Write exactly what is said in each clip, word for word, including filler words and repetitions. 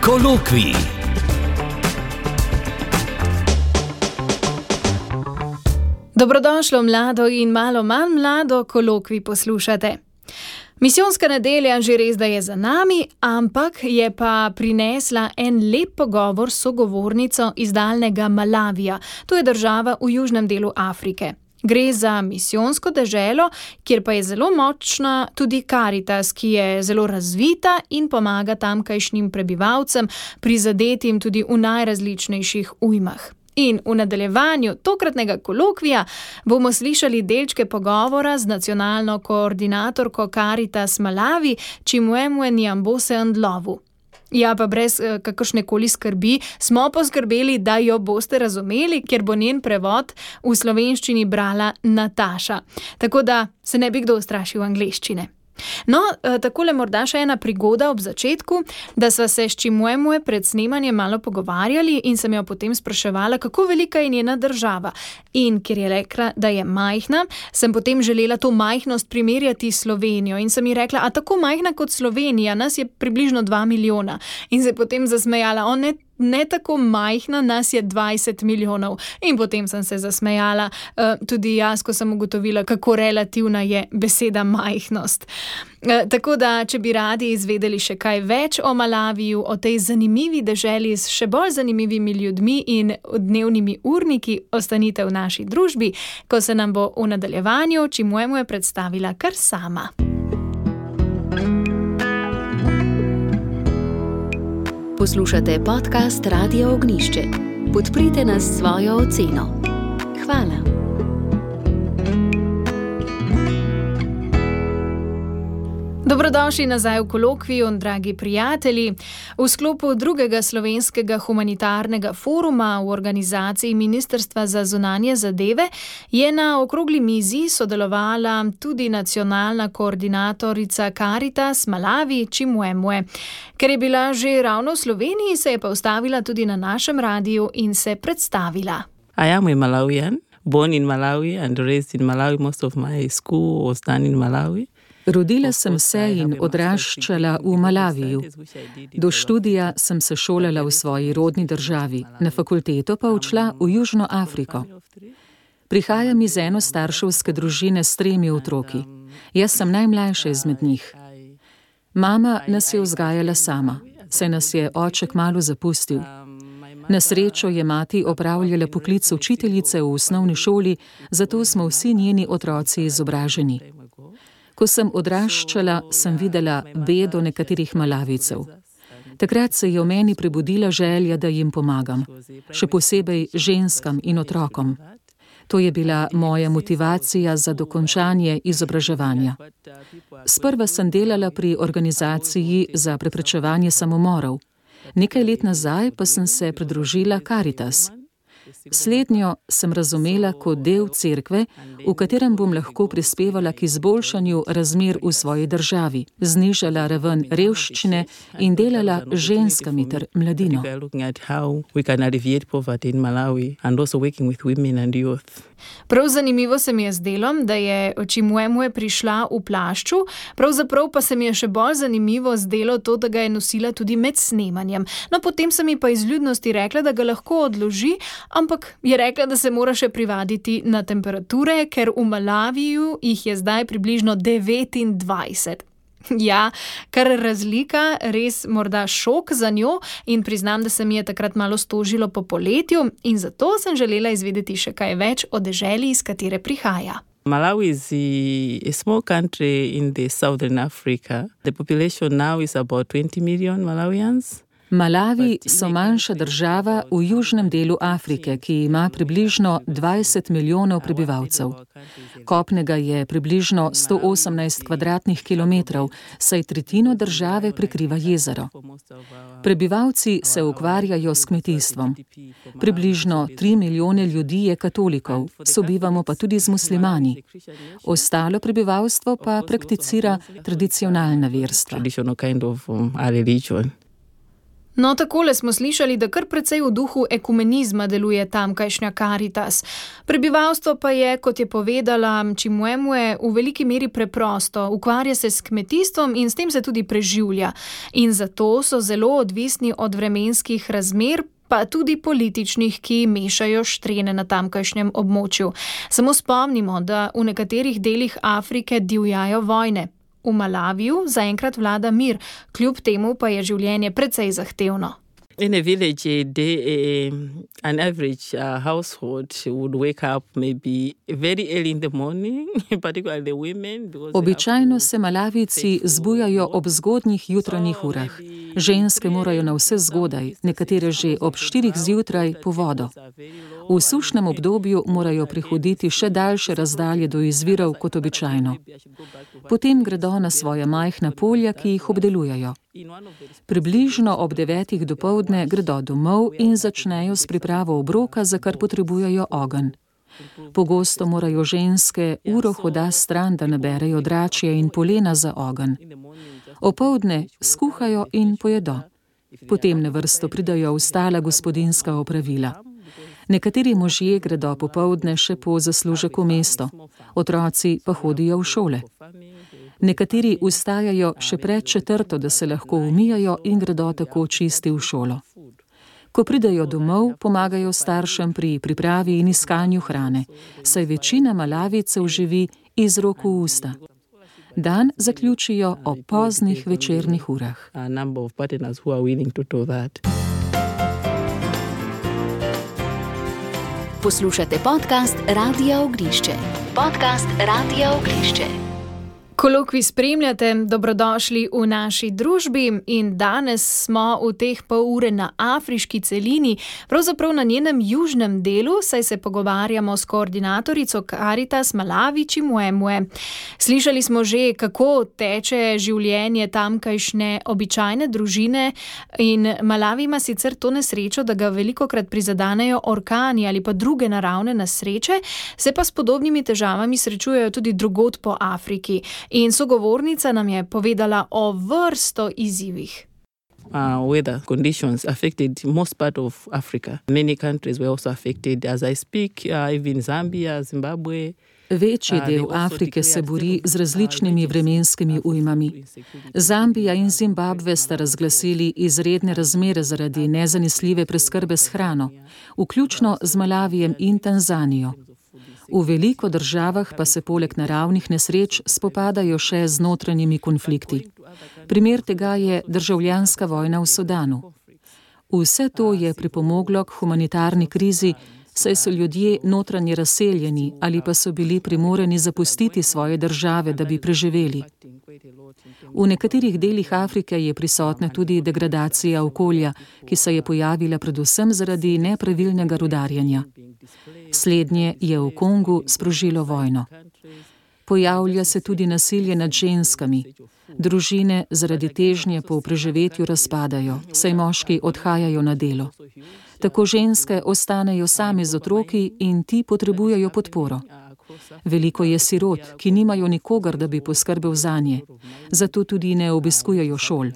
Kolokvij. Dobrodošlo mlado in malo manj mlado, Kolokvij poslušate. Misijonska nedelja že res da je za nami, ampak je pa prinesla en lep pogovor s sogovornico iz daljnega Malavija. To je država v južnem delu Afrike. Gre za misijonsko deželo, kjer pa je zelo močna tudi Karitas, ki je zelo razvita in pomaga tamkajšnjim prebivalcem, prizadetim tudi v najrazličnejših ujmah. In v nadaljevanju tokratnega kolokvija bomo slišali delčke pogovora z nacionalno koordinatorko Karitas Malavi, Chimwemwe Nyambose Ndlovu. Ja, pa brez uh, kakršnekoli skrbi smo poskrbeli, da jo boste razumeli, ker bo njen prevod v slovenščini brala Nataša. Tako da se ne bi kdo ustrašil angleščine. No, takole morda še ena prigoda ob začetku, da sva se s Chimwemwe pred snemanjem malo pogovarjali in sem jo potem spraševala, kako velika je njena država. In ker je rekla, da je majhna, sem potem želela to majhnost primerjati s Slovenijo in sem ji rekla, a tako majhna kot Slovenija, nas je približno dva milijona. In se potem zasmejala, o ne, ne tako majhna, nas je dvajset milijonov. In potem sem se zasmejala, uh, tudi jaz, ko sem ugotovila, kako relativna je beseda majhnost. Uh, tako da, če bi radi izvedeli še kaj več o Malaviju, o tej zanimivi deželi s še bolj zanimivimi ljudmi in dnevnimi urniki, ostanite v naši družbi, ko se nam bo v nadaljevanju Chimwemwe predstavila kar sama. Poslušate podcast Radia Ognjišče. Podprite nas s svojo oceno. Hvala. Dobrodošli nazaj v kolokviju, dragi prijatelji. V sklopu drugega slovenskega humanitarnega foruma v organizaciji Ministrstva za zunanje zadeve je na okrogli mizi sodelovala tudi nacionalna koordinatorica Karitas Malavi Chimwemwe. Ker je bila že ravno v Sloveniji, se je pa ustavila tudi na našem radiju in se predstavila. I am a Malawian, born in Malawi and raised in Malawi. Most of my school was done in Malawi. Rodila sem se in odraščala v Malaviju. Do študija sem se šolala v svoji rodni državi, na fakulteto pa odšla v Južno Afriko. Prihajam iz enostarševske družine s tremi otroki. Jaz sem najmlajša izmed njih. Mama nas je vzgajala sama, saj nas je oče kmalu zapustil. Na srečo je mati opravljala poklic učiteljice v osnovni šoli, zato smo vsi njeni otroci izobraženi. Ko sem odraščala, sem videla bedo nekaterih Malavijcev. Takrat se je v meni prebudila želja, da jim pomagam, še posebej ženskam in otrokom. To je bila moja motivacija za dokončanje izobraževanja. Sprva sem delala pri organizaciji za preprečevanje samomorov. Nekaj let nazaj pa sem se pridružila Karitas. Slednjo sem razumela kot del cerkve, v katerem bom lahko prispevala k izboljšanju razmer v svoji državi, znižala raven revščine in delala z ženskami ter mladino. Prav zanimivo se mi je zdelo, da je Chimwemwe prišla v plašču, pravzaprav pa se mi je še bolj zanimivo zdelo to, da ga je nosila tudi med snemanjem. No, potem sem ji pa iz ljudnosti rekla, da ga lahko odloži, ampak je rekla, da se mora še privaditi na temperature, ker v Malaviju jih je zdaj približno devetindvajset. Ja, kar razlika, res morda šok za njo in priznam, da se mi je takrat malo stožilo po poletju in zato sem želela izvedeti še kaj več o deželi, iz katere prihaja. Malawi is a small country in the southern Africa. The population now is about twenty million Malawians. Malawi so manjša država v južnem delu Afrike, ki ima približno dvajset milijonov prebivalcev. Kopnega je približno sto osemnajst kvadratnih kilometrov, saj tretjino države prekriva jezero. Prebivalci se ukvarjajo s kmetijstvom. Približno tri milijone ljudi je katolikov, sobivamo pa tudi z muslimani. Ostalo prebivalstvo pa prakticira tradicionalna verstva. No, takole smo slišali, da kar precej v duhu ekumenizma deluje tamkajšnja Karitas. Prebivalstvo pa je, kot je povedala Chimwemwe, v veliki meri preprosto, ukvarja se s kmetijstvom in s tem se tudi preživlja. In zato so zelo odvisni od vremenskih razmer, pa tudi političnih, ki mešajo štrene na tamkajšnjem območju. Samo spomnimo, da v nekaterih delih Afrike divjajo vojne. V Malaviju zaenkrat vlada mir, kljub temu pa je življenje precej zahtevno. In a village, a day, a, an average uh, household would wake up maybe very early in the morning, particularly the women. Običajno se Malavijci zbujajo ob zgodnjih jutranjih urah. Ženske morajo na vse zgodaj, nekatere že ob štirih zjutraj po vodo. V sušnem obdobju morajo prihoditi še daljše razdalje do izvirov kot običajno. Potem gredo na svoja majhna polja, ki jih obdelujejo. Približno ob devetih dopoldne gredo domov in začnejo s pripravo obroka, za kar potrebujejo ogenj. Pogosto morajo ženske uro hoda stran, da naberejo dračje in polena za ogenj. Opoldne skuhajo in pojedo. Potem na vrsto pridajo ostala gospodinjska opravila. Nekateri možje gredo popoldne še po zaslužek v mesto, otroci pa hodijo v šole. Nekateri vstajajo še pred četrto, da se lahko umijajo in gredo tako čisti v šolo. Ko pridejo domov, pomagajo staršem pri pripravi in iskanju hrane, saj večina Malavijcev živi iz rok v usta. Dan zaključijo ob poznih večernih urah. Poslušate podcast Radia Ognišče. Podcast Radia Ognišče. Kolokvij spremljate, dobrodošli v naši družbi in danes smo v teh pol ure na afriški celini, pravzaprav na njenem južnem delu, saj se pogovarjamo s koordinatorico Karitas Malavi Chimwemwe. Slišali smo že, kako teče življenje tamkajšnje običajne družine in Malavi ima sicer to nesrečo, da ga velikokrat prizadanejo orkani ali pa druge naravne nesreče, se pa s podobnimi težavami srečujejo tudi drugod po Afriki. In sogovornica nam je povedala o vrsto izzivih. Uh, weather conditions affected most part of Africa. Many countries were also affected as I speak, uh, even Zambia, Zimbabwe. Večji del Afrike se bori z različnimi vremenskimi ujmami. Zambija in Zimbabve sta razglasili izredne razmere zaradi nezanesljive preskrbe s hrano, vključno z Malavijem in Tanzanijo. V veliko državah pa se poleg naravnih nesreč spopadajo še z notranjimi konflikti. Primer tega je državljanska vojna v Sudanu. Vse to je pripomoglo k humanitarni krizi, saj so ljudje notranje razseljeni ali pa so bili primorani zapustiti svoje države, da bi preživeli. V nekaterih delih Afrike je prisotna tudi degradacija okolja, ki se je pojavila predvsem zaradi nepravilnega rudarjenja. Slednje je v Kongu sprožilo vojno. Pojavlja se tudi nasilje nad ženskami. Družine zaradi težnje po preživetju razpadajo, saj moški odhajajo na delo. Tako ženske ostanejo same z otroki in ti potrebujejo podporo. Veliko je sirot, ki nimajo nikogar, da bi poskrbel zanje, zato tudi ne obiskujejo šol.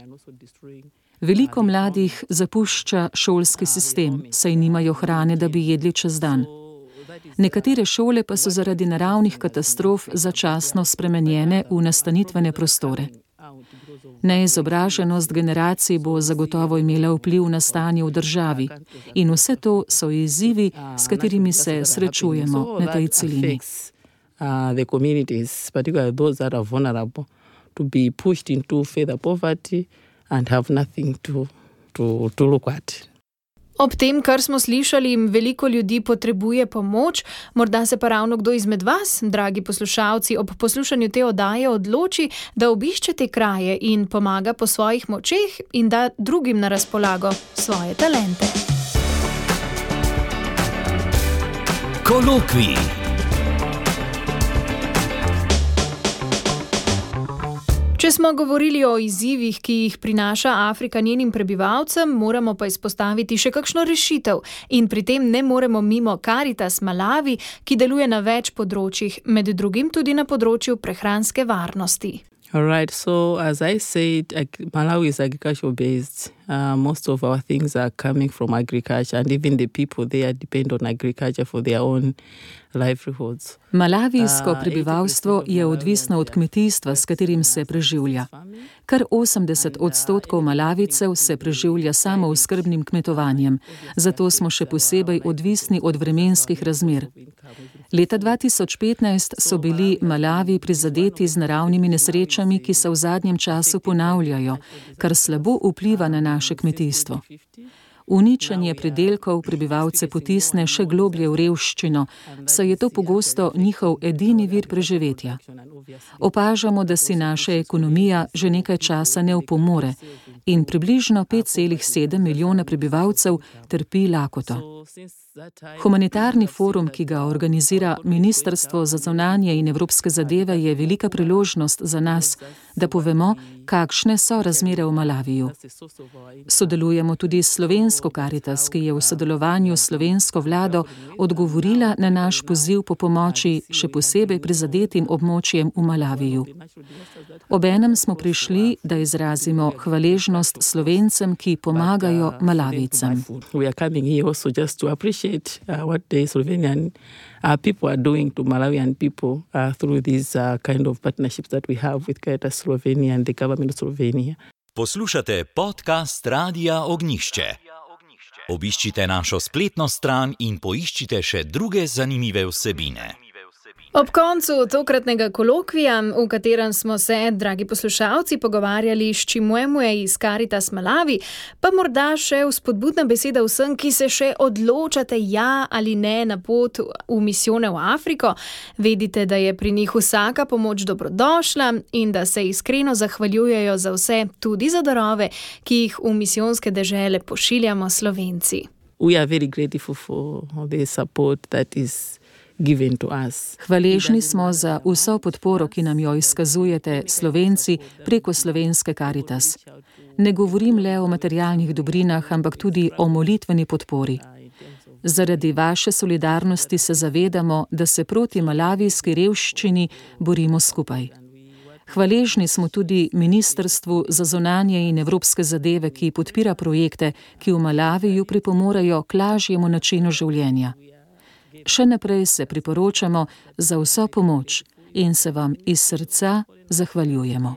Veliko mladih zapušča šolski sistem, saj nimajo hrane, da bi jedli čez dan. Nekatere šole pa so zaradi naravnih katastrof začasno spremenjene v nastanitvene prostore. Neizobraženost generacij bo zagotovo imela vpliv na stanje v državi in vse to so izzivi, s katerimi se srečujemo na tej celini. The communities, particularly those that are vulnerable, to be pushed into further poverty and have nothing to, to, to look at. Ob tem, kar smo slišali, veliko ljudi potrebuje pomoč, morda se pa ravno kdo izmed vas, dragi poslušalci, ob poslušanju te oddaje odloči, da obišče te kraje in pomaga po svojih močeh in da drugim na razpolago svoje talente. Kolokvij. Če smo govorili o izzivih, ki jih prinaša Afrika njenim prebivalcem, moramo pa izpostaviti še kakšno rešitev in pri tem ne moremo mimo Karitas Malavi, ki deluje na več področjih, med drugim tudi na področju prehranske varnosti. All right. So as I said, Malawi is agricultural based. Uh, most of our things are coming from agriculture, and even the people there depend on agriculture for their own livelihoods. Malavijsko prebivalstvo je odvisno od kmetijstva, s katerim se preživlja. Kar osemdeset odstotkov Malavicev se preživlja samo skrbnim kmetovanjem, zato smo še posebej odvisni od vremenskih razmer. Leta dva tisoč petnajst so bili Malavi prizadeti z naravnimi nesrečami, ki se v zadnjem času ponavljajo, kar slabo vpliva na naše kmetijstvo. Uničenje pridelkov prebivalce potisne še globlje v revščino, saj je to pogosto njihov edini vir preživetja. Opažamo, da si naša ekonomija že nekaj časa ne opomore in približno pet celih sedem milijona prebivalcev trpi lakoto. Humanitarni forum, ki ga organizira Ministrstvo za zunanje in evropske zadeve, je velika priložnost za nas, da povemo, kakšne so razmere v Malaviju. Sodelujemo tudi s slovensko Karitas, ki je v sodelovanju s slovensko vlado odgovorila na naš poziv po pomoči še posebej prizadetim območjem v Malaviju. Obenem smo prišli, da izrazimo hvaležnost Slovencem, ki pomagajo Malavicem. Uh, what the Slovenian uh, people are doing to Malawian people uh, through these uh, kind of partnerships that we have with Caritas Slovenia and the government of Slovenia. Poslušate podcast Radia Ognjišče. Obiščite našo spletno stran in poiščite še druge zanimive vsebine. Ob koncu tokratnega kolokvija, v katerem smo se, dragi poslušalci, pogovarjali s Chimwemwe iz Caritas Malawi, pa morda še vzpodbudna beseda vsem, ki se še odločate ja ali ne na pot v misijone v Afriko. Vedite, da je pri njih vsaka pomoč dobrodošla in da se iskreno zahvaljujejo za vse, tudi za darove, ki jih v misijonske dežele pošiljamo Slovenci. We are very grateful for the support that is Hvaležni smo za vso podporo, ki nam jo izkazujete Slovenci preko slovenske Karitas. Ne govorim le o materialnih dobrinah, ampak tudi o molitveni podpori. Zaradi vaše solidarnosti se zavedamo, da se proti malavijski revščini borimo skupaj. Hvaležni smo tudi Ministrstvu za zunanje in evropske zadeve, ki podpira projekte, ki v Malaviju pripomorejo k lažjemu načinu življenja. Še naprej se priporočamo za vso pomoč in se vam iz srca zahvaljujemo.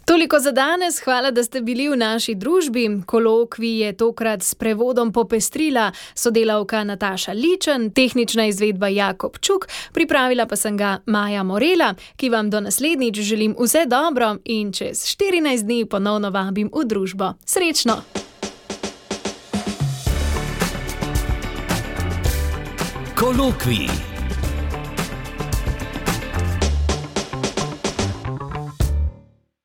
Toliko za danes, hvala, da ste bili v naši družbi. Kolokvij je tokrat s prevodom popestrila sodelavka Nataša Ličen, tehnična izvedba Jakob Čuk, pripravila pa sem ga Maja Morela, ki vam do naslednjič želim vse dobro in čez štirinajst dni ponovno vabim v družbo. Srečno! Kolokvij.